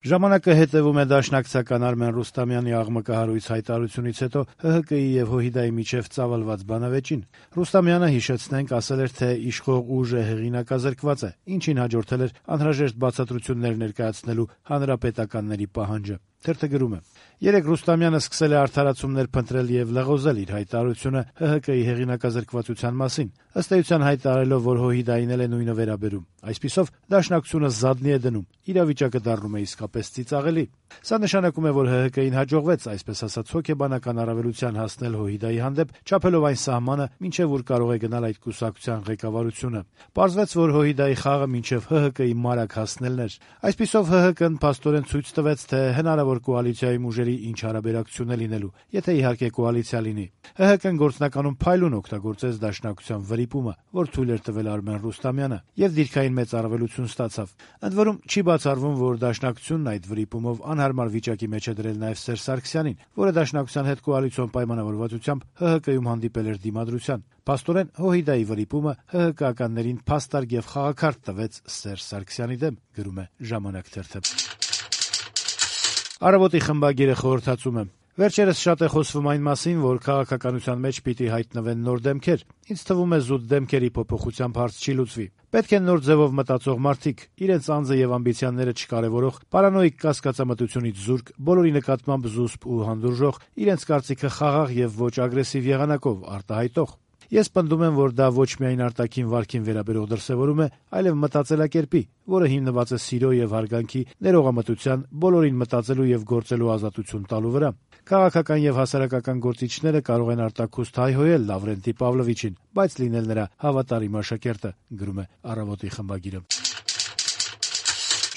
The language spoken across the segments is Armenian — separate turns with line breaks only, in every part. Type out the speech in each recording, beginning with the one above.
Ժամանակը հետևում է դաշնակցական Արմեն Ռուստամյանի աղմկահարույց հայտարարությունից հետո ՀՀԿ-ի եւ ՀՅԴ-ի միջեւ ծավալված բանավեճին։ Ռուստամյանը, հիշեցնենք, ասել էր, թե իշխող ուժը հեղինակազրկված է, ինչին հաջորդել էր անհրաժեշտ բացատրություններ ներկայացնելու հանրապետականների պահանջը։ Թերթը գրում է. «Երեկ Ռուստամյանը սկսել է արդարացումներ փնտրել եւ լղոզել իր հայտարարությունը ՀՀԿ-ի հեղինակազրկվածության մասին, ըստ էության հայտարարելով, որ ՀՅԴ-ին էլ է նույնը վերաբերում։ Այսպիսով դաշնակցությունը զադնի է դնում, իրավիճակը դառնում է իսկապես ծիծաղելի։ Սա նշանակում է, որ ՀՀԿ-ին հաջողվեց, այսպես ասած, հոգեբանական առավելության հասնել ՀՅԴ-ի հանդեպ, չափելով այն սահմանը, մինչեւ ուր կարող է գնալ այդ կուսակցության ղեկավարությունը։ Պարզվեց, որ ՀՅԴ-ի խաղը մինչեւ ՀՀԿ-ի մարակ հասնելն էր։ Այսպիսով ՀՀԿ-ն փաստորեն ցույց տվեց, թե հնարավոր կոալիցիայում ուժերի ինչ հարաբերակցություն է լինելու, եթե իհարկե կոալիցիա լինի։ ՀՀԿ-ն գործնականում փայլուն օգտագործեց դաշնակցության վրիպումը, որ թույլ էր տվել Արմեն Ռուստամյանը, եւ դիրքային մեծ առավելություն ստացավ։ Ընդ որում չի բացառվում, որ դաշնակցությունն այդ վրիպումով անհարմար վիճակի մեջ է դրել նաեւ Սերժ Սարգսյանին, որը դաշնակցության հետ կոալիցիոն պայմանավորվածությամբ ՀՀԿ-ում հանդիպել էր դիմադրության։ Փաստորեն ՀՅԴ-ի վրիպումը ՀՀԿ-ականներին փաստարկ եւ խաղաքարտ տվեց Սերժ Սարգսյանի դեմ, գրում է «Ժամանակ» թերթը»։ «Առավոտ»-ի խմբագիրը խորհրդածում է. «Վերջերս շատ է խոսվում այն մասին, որ քաղաքականության մեջ պիտի հայտնվեն նոր դեմքեր։ Ինձ թվում է, զուտ դեմքերի փոփոխությամբ հարց չի լուծվի։ Պետք են նոր ձևով մտածող մարդիկ, իրենց անձը եւ ամբիցիաները չկարեւորող, պարանոիկ կասկածամտությունից զուրկ, բոլորի նկատմամբ զուսպ ու հանդուրժող, իրենց կարծիքը խաղաղ եւ ոչ ագրեսիվ եղանակով արտահայտող։ Ես պնդում եմ, որ դա ոչ միայն արտաքին վարքին վերաբերող դրսեւորում է, այլև մտածելակերպի, որը հիմնված է սիրո եւ հարգանքի, ներողամտության, բոլորին մտածելու եւ գործելու ազատություն տալու վրա։ Քաղաքական եւ հասարակական գործիչները կարող են արտաքուստ հայհոյել Լավրենտի Պավլովիչին, բայց լինել նրա հավատարիմ աշակերտը», գրում է «Առավոտ»-ի խմբագիրը։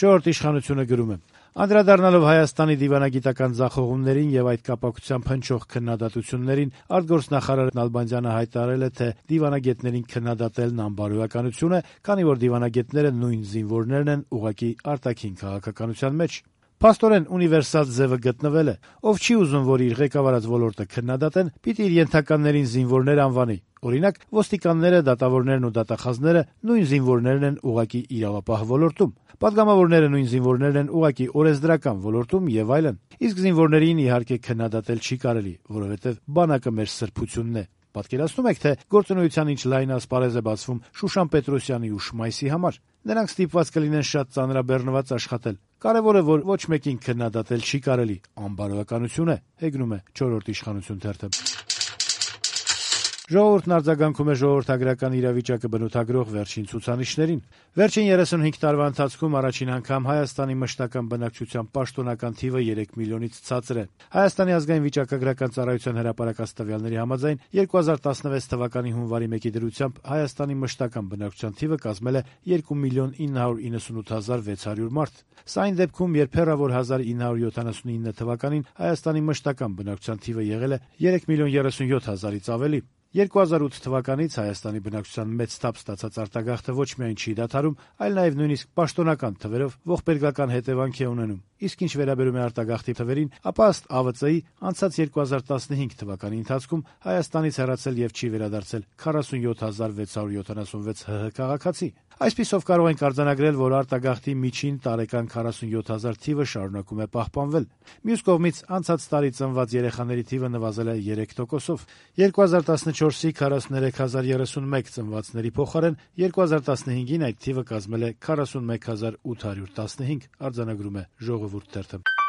«Չորրորդ իշխանությունը» գրում է. «Անդրադառնալով Հայաստանի դիվանագիտական ձախողումներին եւ այդ կապակցությամբ հնչող քննադատություններին, արտգործնախարար Նալբանդյանը հայտարարել է, թե դիվանագետներին քննադատելն անբարոյականություն է, քանի որ դիվանագետները նույն զինվորներն են ուղղակի արտաքին քաղաքականության մեջ։ Փաստորեն ունիվերսալ ձևը գտնվել է. ով չի ուզում, որ իր ղեկավարած ոլորտը քննադատեն, պիտի իր ենթականերին զինվորներ անվանի։ Օրինակ, ոստիկանները, դատավորներն ու դատախազները նույն զինվորներն են ուղղակի իրավապահ ոլորտում, պատգամավորները նույն զինվորներն են ուղղակի օրենսդրական ոլորտում եւ այլն։ Իսկ զինվորներին իհարկե քննադատել չի կարելի, որովհետեւ բանակը մեր սրբությունն է։ Պատկերացնում եք, թե գործունեության ինչ լայն ասպարեզ է բացվում Շուշան Պետրոսյանի ու Շմայսի համար։ Նրանք ստիպված կլինեն շատ ծանրաբեռնված աշխատել։ Կարևորը, որ ոչ մեկին քննադատել չի կարելի, անբարոյականություն է», հեգնում է «Չորրորդ իշխանություն» թերթը։ «Ժողովուրդ»-ն արձագանքում է ժողովրդագրական իրավիճակը բնութագրող վերջին ցուցանիշներին։ Վերջին 35 տարվա ընթացքում առաջին անգամ Հայաստանի մշտական բնակչության պաշտոնական թիվը 3 միլիոնից ցածր է։ Հայաստանի ազգային վիճակագրական ծառայության հրապարակած տվյալների համաձայն 2016 թվականի հունվարի 1-ի դրությամբ Հայաստանի մշտական բնակչության թիվը կազմել է 2 միլիոն 998 հազար 600 մարդ։ Սա այն դեպքում, երբ հեռավոր 1979 թվականին Հայաստանի մշտական բնակչության թիվը եղել է 3 միլիոն 37 հազարից ավելի։ 2008 թվականից Հայաստանի բնակչության մեծ թափ ստացած արտագաղթը ոչ միայն չի դադարում, այլ նաև նույնիսկ պաշտոնական թվերով ողբերգական հետևանք է ունենում։ Իսկ ինչ վերաբերում է արտագաղթի թվերին, ապա ըստ ԱՎԾ-ի անցած 2015 թվականի ընթացքում Հայաստանից հեռացել եւ չի վերադարձել 47676 ՀՀ քաղաքացի։ Այսպիսով կարող ենք արձանագրել, որ արտագաղթի միջին տարեկան 47000 թիվը շարունակում է պահպանվել։ Մյուս կողմից անցած տարի ծնված երեխաների թիվը նվազել է 3%-ով։ 2014-ի 43031 ծնվածների փոխարեն 2015-ին այդ թիվը կազմել է 41815, արձանագրում է «Ժողովուրդ» թերթը։